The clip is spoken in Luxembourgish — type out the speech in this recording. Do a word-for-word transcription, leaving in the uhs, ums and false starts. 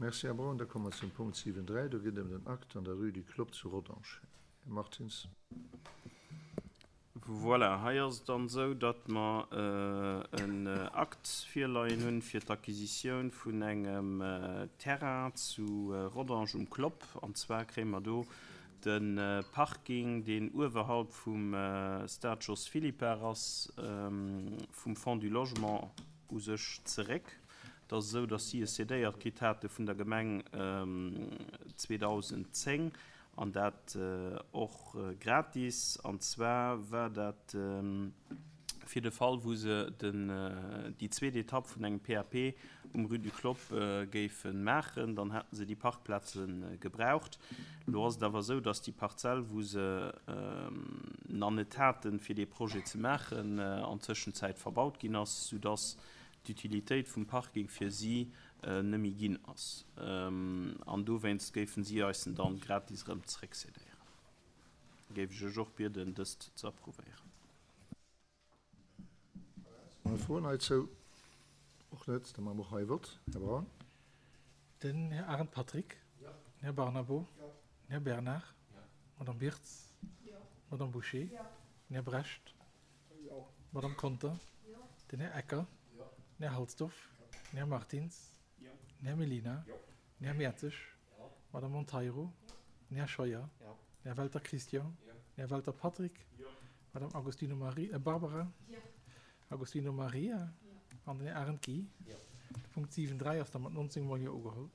Merci, Här Braun. Da komme mer zum Punkt siwen dräi. Do geet et ëm den Akt an der Rue du Clopp zu Rodange. Här Martins. Voilà, hei ass et dann esou, datt mer en Akt virleien hunn fir d'Acquisitioun vun engem Terrain zu Rodange um Clopp. An zwar kréie mer do de Parking, deen uewerhalb vum Stade Jos Philippart ass, vum Fonds du Logement u sech zeréck. Et ass esou, datt si e cédéiert kritt hate vun der Gemeng zweedausendzéng. An dat och gratis. An zwar war dat fir de Fall, wou se den, déi zweet Etapp vun engem P A P um Rue du Clopp géife maachen. Dann hätte se déi Parkplaze gebraucht. Elo ass et awer esou, dass déi Parzell, wou se nach net haten, fir dee Projet ze maachen, an Tëschenzäit verbaut ginn ass, soudass d'Utilitéit vum Parking fir si net méi ginn ass. An dowéinst géifen si eis en dann gratis erëm zeréckcédéieren. Géif ech iech och bieden, dëst ze approuvéieren. Froen heizou? Och net. Da maache mer och hei e Vott. Här Braun. Den Här Arendt Patrick. Den Här Barnabo. Den Här Bernard. D'Madame Birtz. D'Madame Bouché. Den Här Brecht. D'Madame Conter. Den Här Ecker. Den Här Halsdorf. Den Här Martins. Den Här Mellina. Den Här Mertzig. D'Madame Monteiro. Den Här Scheuer. Den Här Welter Christian. Den Här Welter Patrick. D'Madame Agostino Marie, äh, Barbara. Agostino Maria an den Här Arendt Guy. De Punkt siwen dräi ass da mat nonzéng Mol Jo ugeholl.